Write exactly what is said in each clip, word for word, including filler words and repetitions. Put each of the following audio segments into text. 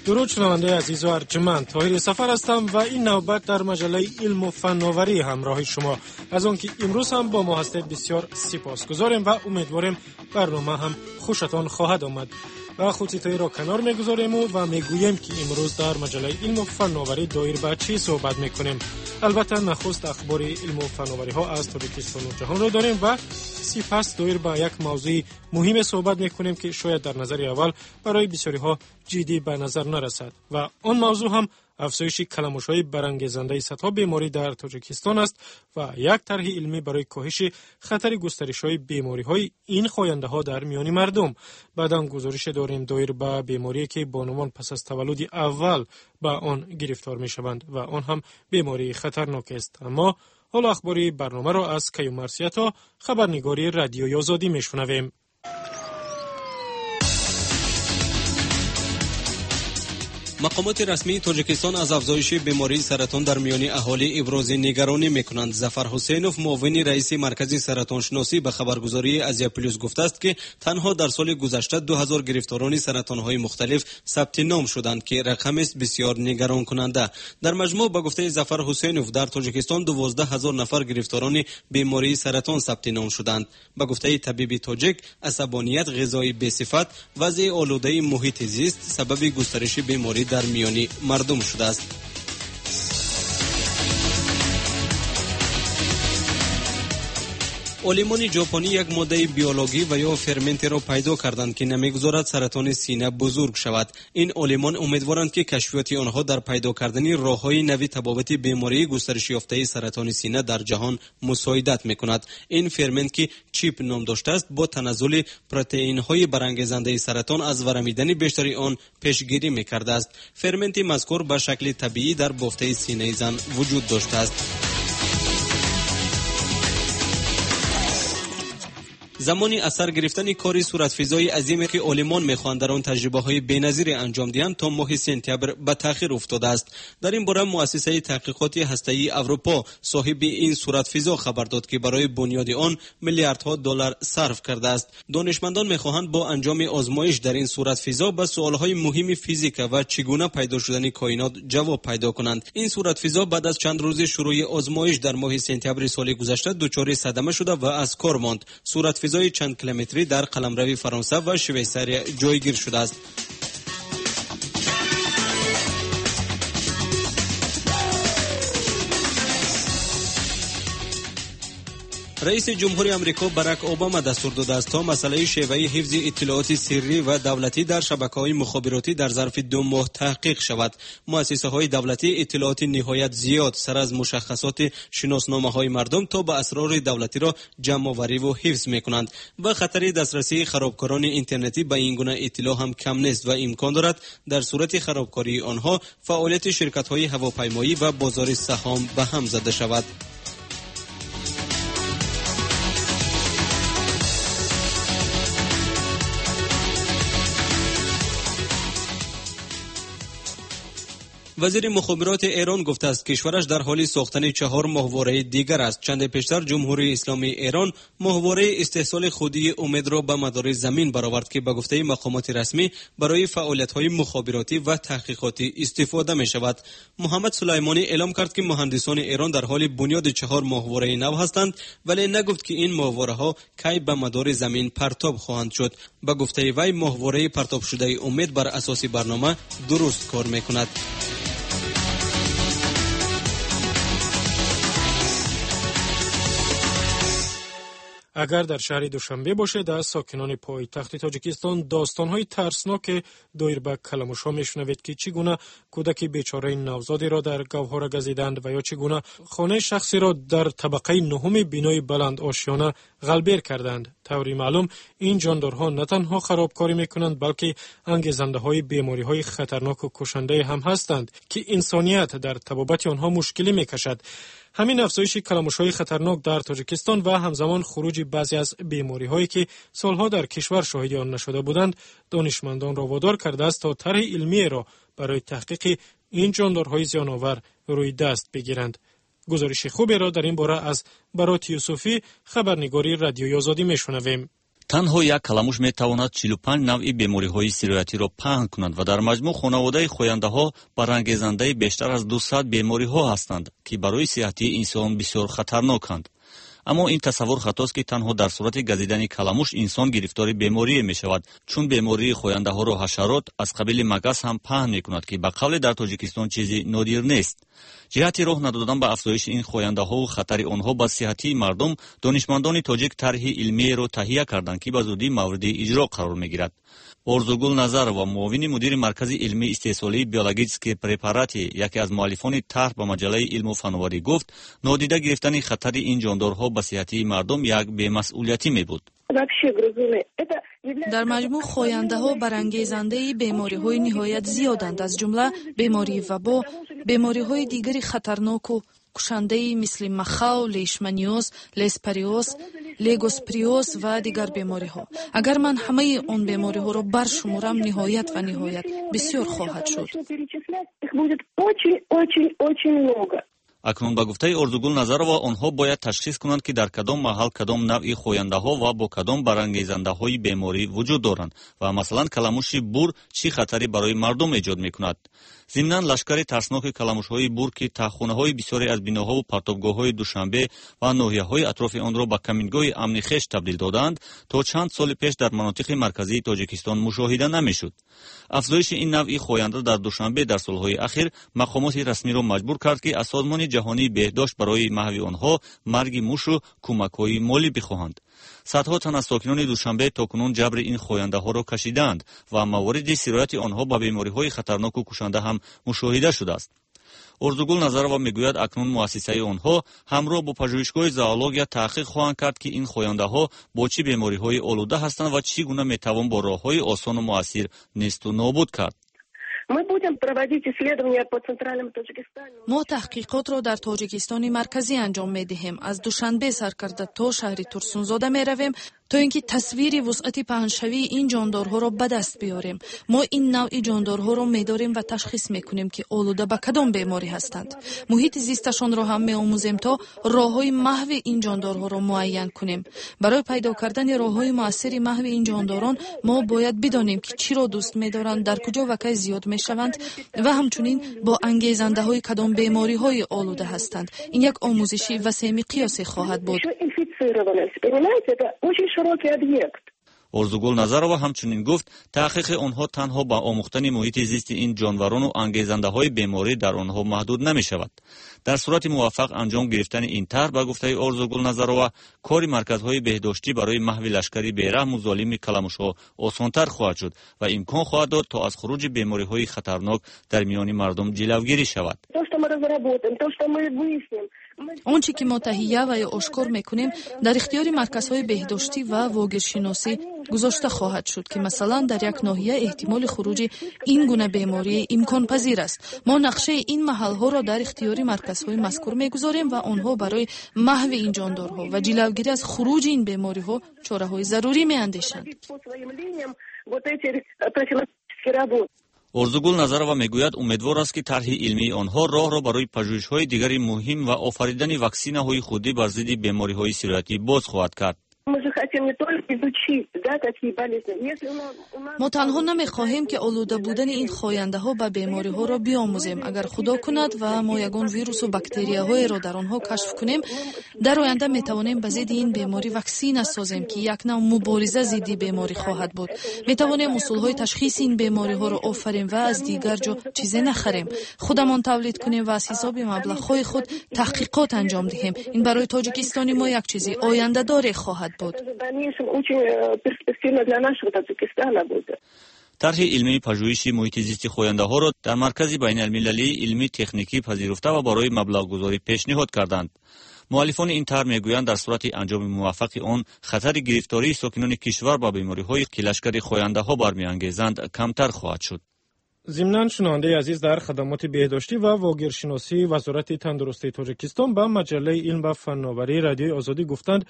Дуруд, шунавандаи азизу арҷманд, Тоҳири Сафар ҳастам ва ин навбат дар маҷаллаи илму фанноварӣ ҳамроҳи шумо. Аз он ки имрӯз ҳам бо мо ҳастед бисёр сипосгузорем ва умедворем барнома ҳам хушатон хоҳад омад. Ва худситоиро канор мегузорему ва мегӯем, ки имрӯз дар маҷаллаи илму фанноварӣ доир ба чӣ суҳбат мекунем. Албатта, нахуст ахбори илму фанновариҳо аз Тоҷикистону ҷаҳонро дорем ва сипас доир ба як мавзӯи муҳиме суҳбат мекунем, ки шояд дар назари аввал барои бисёриҳо ҷиддӣ ба назар нарасад. Ва он мавзӯъ ҳам афзоиши каламушҳои барангезандаи садҳо беморӣ дар Тоҷикистон аст ва як тарҳи илмӣ барои коҳиши хатари густаришҳои бемориҳои ин хояндаҳо дар миёни мардум. Баъдан гузорише дорем доир ба беморие, ки бонувон пас аз таваллуди аввал ба он гирифтор мешаванд ва он ҳам бемории хатарнок аст. Аммо ҳоло ахбори барномаро аз Каюмарсиято, хабарнигори Радиои Озодӣ мешунавем. Мақомоти расмии Тоҷикистон аз афзоиши бемории саратон дар миёни аҳолӣ ибрози нигаронӣ мекунанд. Зафар Ҳусейнов, муовини раиси Маркази саратоншиносӣ, ба хабаргузории Азия Плюс гуфтааст, ки танҳо дар соли гузашта ду ҳазор гирифторони саратонҳои мухталиф сабти ном шуданд, ки рақамест бисёр нигаронкунанда. Дар маҷмӯъ, ба гуфтаи Зафар Ҳусейнов, дар Тоҷикистон дувоздаҳ ҳазор нафар гирифторони бемории саратон сабти ном шуданд. Ба гуфтаи табиби тоҷик, асабоният, ғизои бесифат, вазъи олудаи муҳити зист сабаби густариши беморӣ дар миёни мардум шудааст. Олимони ҷопонӣ як моддаи биологӣ ва ё ферментеро пайдо карданд, ки намегузорад саратони сина бузург шавад. Ин олимон умедворанд, ки кашфиёти онҳо дар пайдо кардани роҳҳои нави табобати бемории густаришёфтаи саратони сина дар ҷаҳон мусоидат мекунад. Ин фермент, ки чип ном доштааст, бо таназзули протеинҳои барангезандаи саратон аз варамидани бештари он пешгирӣ мекардааст. Ферменти мазкур ба шакли табиӣ дар бофтаи синаи зан вуҷуд доштааст. Замони аз сар гирифтани кори суратфизои азиме, ки олимон мехоҳанд дар он таҷрибаҳои беназире анҷом диҳанд, то моҳи сентябр ба таъхир уфтодааст. Дар ин бора муассисаи таҳқиқоти ҳастаии Аврупо, соҳиби ин суратфизо, хабар дод, ки барои бунёди он миллиардҳо доллар сарф кардааст. Донишмандон мехоҳанд бо анҷоми озмоиш дар ин суратфизо ба суолҳои муҳими физика ва чӣ гуна пайдо шудани коинот ҷавоб пайдо кунанд. Ин суратфизо баъд аз чанд рӯзи шурӯи озмоиш дар моҳи сентябри соли гузашта дучори садама шуда ва аз кор монд. Суратфизои чанд километрӣ дар қаламрави Фаронса ва Швейсария ҷойгир шудааст. Раиси ҷумҳури Амрико Барак Обама дастур додааст, то масъалаи шеваи ҳифзи иттилооти сиррӣ ва давлатӣ дар шабакаҳои мухобиротӣ дар зарфи ду моҳ таҳқиқ шавад. Муассисаҳои давлатӣ иттилооти ниҳоят зиёд сар аз мушаххасоти шиносномаҳои мардум то ба асрори давлатиро ҷамъовариву ҳифз мекунанд ва хатари дастрасии харобкорони интернетӣ ба ин гуна иттилоъ ҳам кам нест ва имкон дорад дар сурати харобкории онҳо фаъолияти ширкатҳои ҳавопаймоӣ ва бозори саҳом ба ҳам зада шавад. Вазири мухобироти Эрон гуфтааст, кишвараш дар ҳоли сохтани чаҳор моҳвораи дигар аст. Чанде пештар Ҷумҳурии Исломии Эрон моҳвораи истеҳсоли худии Умедро ба мадори замин баровард, ки ба гуфтаи мақомоти расмӣ барои фаъолиятҳои мухобиротӣ ва таҳқиқотӣ истифода мешавад. Муҳаммад Сулаймонӣ эълом кард, ки муҳандисони Эрон дар ҳоли бунёди чаҳор моҳвораи нав ҳастанд, вале нагуфт, ки ин моҳвораҳо кай ба мадори замин партоб хоҳанд шуд. Ба гуфтаи вай, моҳвораи партобшудаи Умед бар асоси барнома дуруст кор мекунад. Агар дар шаҳри Душанбе бошед, аз сокинони пойтахти Тоҷикистон достонҳои тарсноке доир ба каламушҳо мешунавед, ки чӣ гуна кӯдаки бечораи навзодеро дар гавҳора газиданд ва ё чӣ гуна хонаи шахсеро дар табақаи нуҳуми бинои баландошёна ғалбер карданд. Таври маълум, ин ҷондорҳо на танҳо харобкорӣ мекунанд, балки ангезандаҳои бемориҳои хатарноку кушандае ҳам ҳастанд, ки инсоният дар табобати онҳо мушкилӣ мекашад. Ҳамин афзоиши каламушҳои хатарнок дар Тоҷикистон ва ҳамзамон хуруҷи баъзе аз бемориҳое, ки солҳо дар кишвар шоҳиди он нашуда буданд, донишмандонро водор кардааст, то тарҳи илмиеро барои таҳқиқи ин ҷондорҳои зиёновар рӯи даст бигиранд. Гузориши хуберо дар ин бора аз Бароти Юсуфӣ, хабарнигори Радиои Озодӣ мешунавем. Танҳо як каламуш метавонад чилу панҷ навъи бемориҳои сироятиро паҳн кунад ва дар маҷмӯъ хонаводаи хояндаҳо барангезандаи бештар аз дусад бемориҳо ҳастанд, ки барои сиҳатии инсон бисёр хатарноканд. Аммо ин тасаввур хатост, ки танҳо дар сурати газидани каламуш инсон гирифтори беморие мешавад, чун бемории хояндаҳоро ҳашарот аз қабили магас ҳам паҳн мекунад, ки ба қавле дар Тоҷикистон чизи нодир нест. Ҷиҳати роҳ надодан ба афзоиши ин хояндаҳову хатари онҳо ба сиҳатии мардум, донишмандони тоҷик тарҳи илмиеро таҳия карданд, ки ба зудӣ мавриди иҷро қарор мегирад. Орзугул Назарова, муовини мудири Маркази илмии истеҳсолии биологические препараты, яке аз муаллифони тарҳ, ба маҷаллаи «Илму фановарӣ» гуфт, нодида гирифтани хатари ин ҷондорҳо ба сиҳатии мардум як бемасъулиятӣ мебуд. Дар маҷмӯъ хояндаҳо барангезандаи бемориҳои ниҳоят зиёданд, аз ҷумла бемории вабо, бемориҳои дигари хатарноку кушандаи мисли махав, лейшманиоз, леспариоз, легосприоз ва дигар бемориҳо. Агар ман ҳамаи он бемориҳоро баршуморам, ниҳоят ва ниҳоят бисёр хоҳад шуд. Акнун, ба гуфтаи Орзугул Назарова, онҳо бояд ташхис кунанд, ки дар кадом маҳал кадом навъи хояндаҳо ва бо кадом барангезандаҳои беморӣ вуҷуд доранд ва масалан каламуши бур чӣ хатаре барои мардум эҷод мекунад. Зимнан, лашкари тарсноки каламушҳои бур, ки таҳхонаҳои бисёре аз биноҳову партобгоҳҳои Душанбе ва ноҳияҳои атрофи онро ба камингоҳи амни хеш табдил додаанд, то чанд соли пеш дар манотиқи марказии Тоҷикистон мушоҳида намешуд. Афзоиши ин навъи хоянда дар Душанбе дар солҳои ахир мақомоти расмиро маҷбур кард, ки аз Созмони ҷаҳонии беҳдошт барои маҳви онҳо марги мушу кӯмакҳои молӣ бихоҳанд. Садҳо тан аз сокинони Душанбе то кунун ҷабри ин хояндаҳоро кашидаанд ва мавориди сирояти онҳо ба бемориҳои хатарноку кушанда ҳам мушоҳида шудааст. Орзугул Назарова мегӯяд, акнун муассисаи онҳо ҳамроҳ бо пажӯҳишгоҳи зоология таҳқиқ хоҳанд кард, ки ин хояндаҳо бо чӣ бемориҳои олуда ҳастанд ва чӣ гуна метавон бо роҳҳои осону муассир несту нобуд кард. Мо таҳқиқотро дар Тоҷикистони марказӣ анҷом медиҳем. Аз Душанбе сар карда то шаҳри Турсунзода меравем, то ин ки тасвири вусъати паҳншавии ин ҷондорҳоро ба даст биёрем. Мо ин навъи ҷондорҳоро медорем ва ташхис мекунем, ки олуда ба кадом беморӣ ҳастанд. Муҳити зисташонро ҳам меомӯзем, то роҳҳои маҳви ин ҷондорҳоро муайян кунем. Барои пайдо кардани роҳҳои муассири маҳви ин ҷондорон мо бояд бидонем, ки чиро дӯст медоранд, дар куҷо ва кай зиёд мешаванд ва ҳамчунин бо ангезандаҳои кадом бемориҳои олуда ҳастанд. Ин як омӯзиши васеъмиқёсе хоҳад буд. Орзугул Назарова ҳамчунин гуфт, таҳқиқи онҳо танҳо ба омӯхтани муҳити зисти ин ҷонварону ангезандаҳои беморӣ дар онҳо маҳдуд намешавад. Дар сурати муваффақ анҷом гирифтани ин тарҳ, ба гуфтаи Орзугул Назарова, кори марказҳои беҳдоштӣ барои маҳви лашкари бераҳму золими каламушҳо осонтар хоҳад шуд ва имкон хоҳад дод, то аз хуруҷи бемориҳои хатарнок дар миёни мардум ҷилавгирӣ шавад. Он чӣ ки мо таҳия ва ё ошкор мекунем, дар ихтиёри марказҳои беҳдоштӣ ва вогиршиносӣ гузошта хоҳад шуд, ки масалан дар як ноҳия эҳтимоли хуруҷи ин гуна беморӣ имконпазир аст. Мо нақшаи ин маҳалҳоро дар ихтиёри марказҳои мазкур мегузорем ва онҳо барои маҳви ин ҷондорҳо ва ҷилавгирӣ аз хуруҷи ин бемориҳо чораҳои зарурӣ меандешанд. Орзугул Назарова мегӯяд, умедвор аст, ки тарҳи илмии онҳо роҳро барои пажӯҳишҳои дигари муҳим ва офаридани ваксинаҳои худӣ бар зидди бемориҳои сироятӣ боз хоҳад кард. Мо танҳо намехоҳем, ки олуда будани ин хояндаҳо ба бемориҳоро биомӯзем. Агар Худо кунад ва мо ягон вирусу бактерияҳоеро дар онҳо кашф кунем, дар оянда метавонем ба зидди ин беморӣ ваксина созем, ки як нав мубориза зидди беморӣ хоҳад буд. Метавонем усулҳои ташхиси ин бемориҳоро офарем ва аз дигар ҷо чизе нахарем. Худамон тавлид кунем ва аз ҳисоби маблағҳои худ таҳқиқот анҷом диҳем. Ин барои Тоҷикистони мо як чизи ояндадоре хоҳад буд. Тарҳи илмии пажӯҳиши муҳити зисти хояндаҳоро дар Маркази байналмилалии илмии техникӣ пазируфта ва барои маблағгузорӣ пешниҳод карданд. Муаллифони ин тарҳ мегӯянд, дар сурати анҷоми муваффақи он хатари гирифтории сокинони кишвар ба бемориҳое, ки лашкари хояндаҳо бармеангезанд, камтар хоҳад шуд. Зимнан, шунавандаи азиз, дар хадамоти беҳдоштӣ ва вогиршиносии Вазорати тандурустии Тоҷикистон ба маҷаллаи «Илм ва фанноварии» Радиои Озодӣ гуфтанд,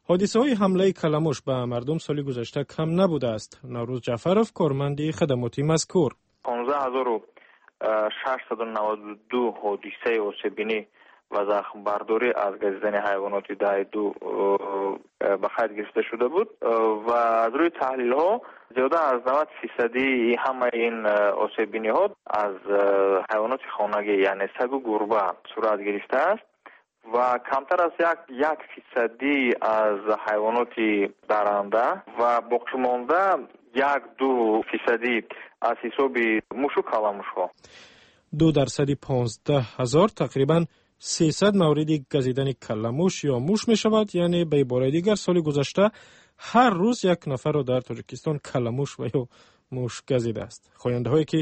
ҳодисаҳои ҳамлаи каламуш ба мардум соли гузашта кам набудааст. Наврӯз Ҷаъфаров, корманди хадамоти мазкур: понздаҳ ҳазору шашсаду наваду ду ҳодисаи осеббинӣ ва захмбардорӣ аз газидани ҳайвоноти даҳ ду ба қайд гирифта шуда буд ва аз рӯи таҳлилҳо зиёда аз навад фисади ҳамаи ин осеббиниҳо аз ҳайвоноти хонагӣ, яъне сагу гурба сурат гирифтааст ва камтар аз як як фисадӣ аз ҳайвоноти даранда ва боқимонда як ду фисадӣ аз ҳисоби мушу каламушҳо. Ду дарсади понздаҳ ҳазор тақрибан сесад мавриди газидани калламуш ё муш мешавад. Яъне, ба ибораи дигар, соли гузашта ҳар рӯз як нафарро дар Тоҷикистон калламуш ва ё муш газидааст. Хояндаҳое, ки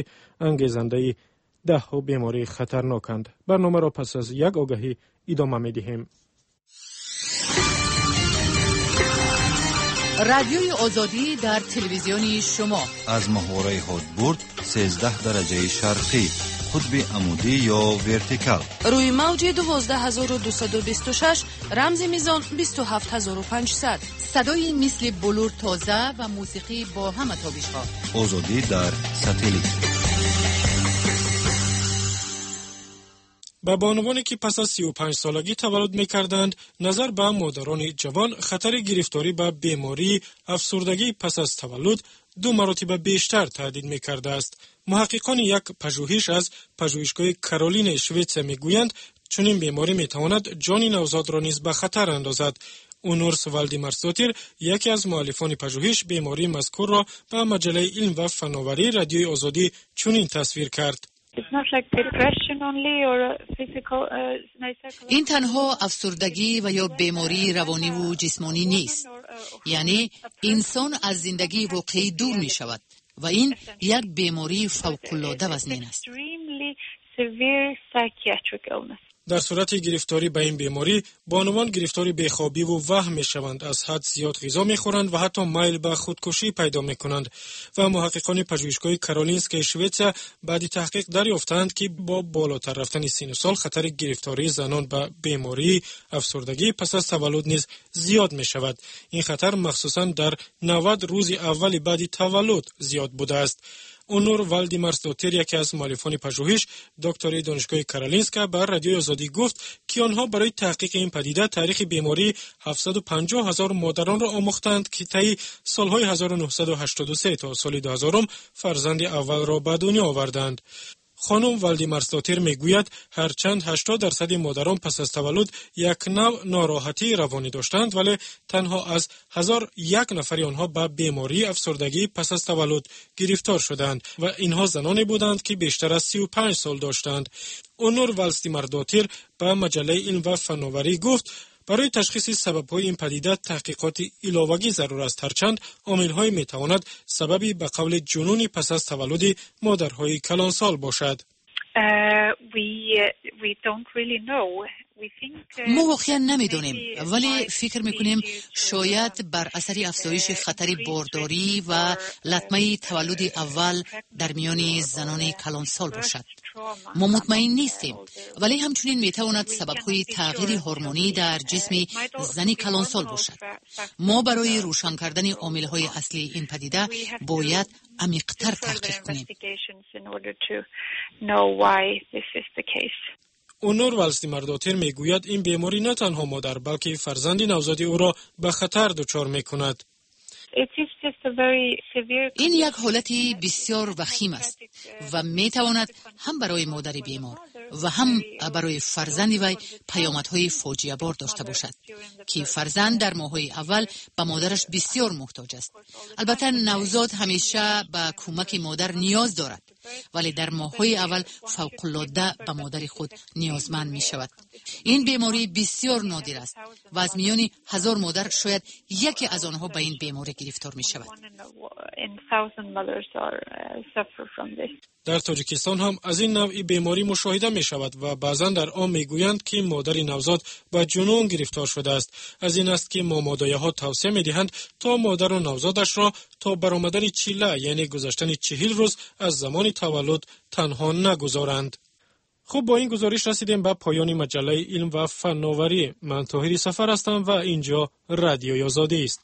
ангезандаи даҳҳо бемории хатарноканд. Барномаро пас аз як огаҳӣ идома медиҳем. Радиои Озодӣ дар телевизиони шумо. Аз моҳвораи ҳодбурд, сездаҳ дараҷаи шарқӣ, қутби амудӣ ё вертикал. Рӯи мавҷи дувоздаҳ ҳазору дусаду бисту шаш, рамзи мизон бисту ҳафт ҳазору панҷсад. Садои мисли булур тоза ва мусиқӣ бо ҳама тобишҳо. Озодӣ дар сателлит. Ба бонувоне, ки пас аз сию панҷ солагӣ таваллуд мекарданд, назар ба модарони ҷавон хатари гирифторӣ ба бемории афсурдагӣ пас аз таваллуд ду маротиба бештар таҳдид мекардааст. Муҳаққиқони як пажӯҳиш аз пажӯҳишгоҳи Каролинаи Шветсия мегӯянд, чунин беморӣ метавонад ҷони навзодро низ ба хатар андозад. Унур Валдимарсдотир, яке аз муаллифони пажӯҳиш, бемории мазкурро ба маҷаллаи «Илм ва фановарии» Радиои Озодӣ чунин тасвир кард: Uh, ин танҳо афсурдагӣ ва ё бемории равониву ҷисмонӣ нест, яъне инсон аз зиндагии воқеӣ дур мешавад ва ин як бемории фавқулода вазнин аст. Дар сурати гирифторӣ ба ин беморӣ бонувон гирифтори бехобиву ваҳм мешаванд, аз ҳад зиёд ғизо мехӯранд ва ҳатто майл ба худкушӣ пайдо мекунанд. Ва муҳаққиқони пажӯҳишгоҳи Каролинскаи Шветсия баъди таҳқиқ дарёфтаанд, ки бо болотар рафтани синну сол хатари гирифтории занон ба бемории афсурдагӣ пас аз таваллуд низ зиёд мешавад. Ин хатар махсусан дар навад рӯзи аввали баъди таваллуд зиёд будааст. Унур Валдимарсдотир, яке аз муаллифони пажӯҳиш, доктори Донишгоҳи Каролинска, ба Радиои Озодӣ гуфт, ки онҳо барои таҳқиқи ин падида таърихи бемории ҳафтсаду панҷоҳ ҳазор модаронро омӯхтанд, ки таи солҳои ҳазору нӯҳсаду ҳаштоду се то соли дуҳазорум фарзанди аввалро ба дунё оварданд. Хонум Валдимарсдотир мегӯяд, ҳарчанд ҳаштод дарсади модарон пас аз таваллуд як навъ нороҳатии равонӣ доштанд, вале танҳо аз ҳазор як нафари онҳо ба бемории афсурдагӣ пас аз таваллуд гирифтор шуданд ва инҳо заноне буданд, ки бештар аз сию панҷ сол доштанд. Унур Валдимарсдотир ба маҷаллаи «Илм ва фановарӣ» гуфт, барои ташхиси сабабҳои ин падида таҳқиқоти иловагӣ зарур аст, ҳарчанд омилҳое метавонад сабаби ба қавли ҷунуни пас аз таваллуди модарҳои калонсол бошад. Uh, мо воқеан намедонем, вале фикр мекунем, шояд бар асари афзоиши хатари бордорӣ ва латмаи таваллуди аввал дар миёни занони калонсол бошад. Мо мутмаин нестем, вале ҳамчунин метавонад сабабҳои тағйири ҳормонӣ дар ҷисми зани калонсол бошад. Мо барои рӯшан кардани омилҳои аслии ин падида бояд амиқтар таҳқиқ кунем. Унур Валдимарсдотир мегӯяд, ин беморӣ на танҳо модар, балки фарзанди навзоди ӯро ба хатар дучор мекунад. Ин як ҳолати бисёр вахим аст ва метавонад ҳам барои модари бемор ва ҳам барои фарзанди вай паёмадҳои фоҷиабор дошта бошад, ки фарзанд дар моҳҳои аввал ба модараш бисёр муҳтоҷ аст. Албатта, навзод ҳамеша ба кӯмаки модар ниёз дорад, вале дар моҳҳои аввал фавқулода ба модари худ ниёзманд мешавад. Ин беморӣ бисёр нодир аст ва аз миёни ҳазор модар шояд яке аз онҳо ба ин беморӣ гирифтор мешавад. Дар Тоҷикистон ҳам аз ин навъи беморӣ мушоҳида мешавад ва баъзан дар он мегӯянд, ки модари навзод ба ҷунун гирифтор шудааст. Аз ин аст, ки момодояҳо тавсия медиҳанд, то модару навзодашро то баромадани чилла, яъне гузаштани чиҳил рӯз аз замони таваллуд, танҳо нагузоранд. Хуб, бо ин гузориш расидем ба поёни маҷаллаи «Илм ва фановарӣ». Ман Тоҳири Сафар ҳастам ва ин ҷо Радиои Озодӣ аст.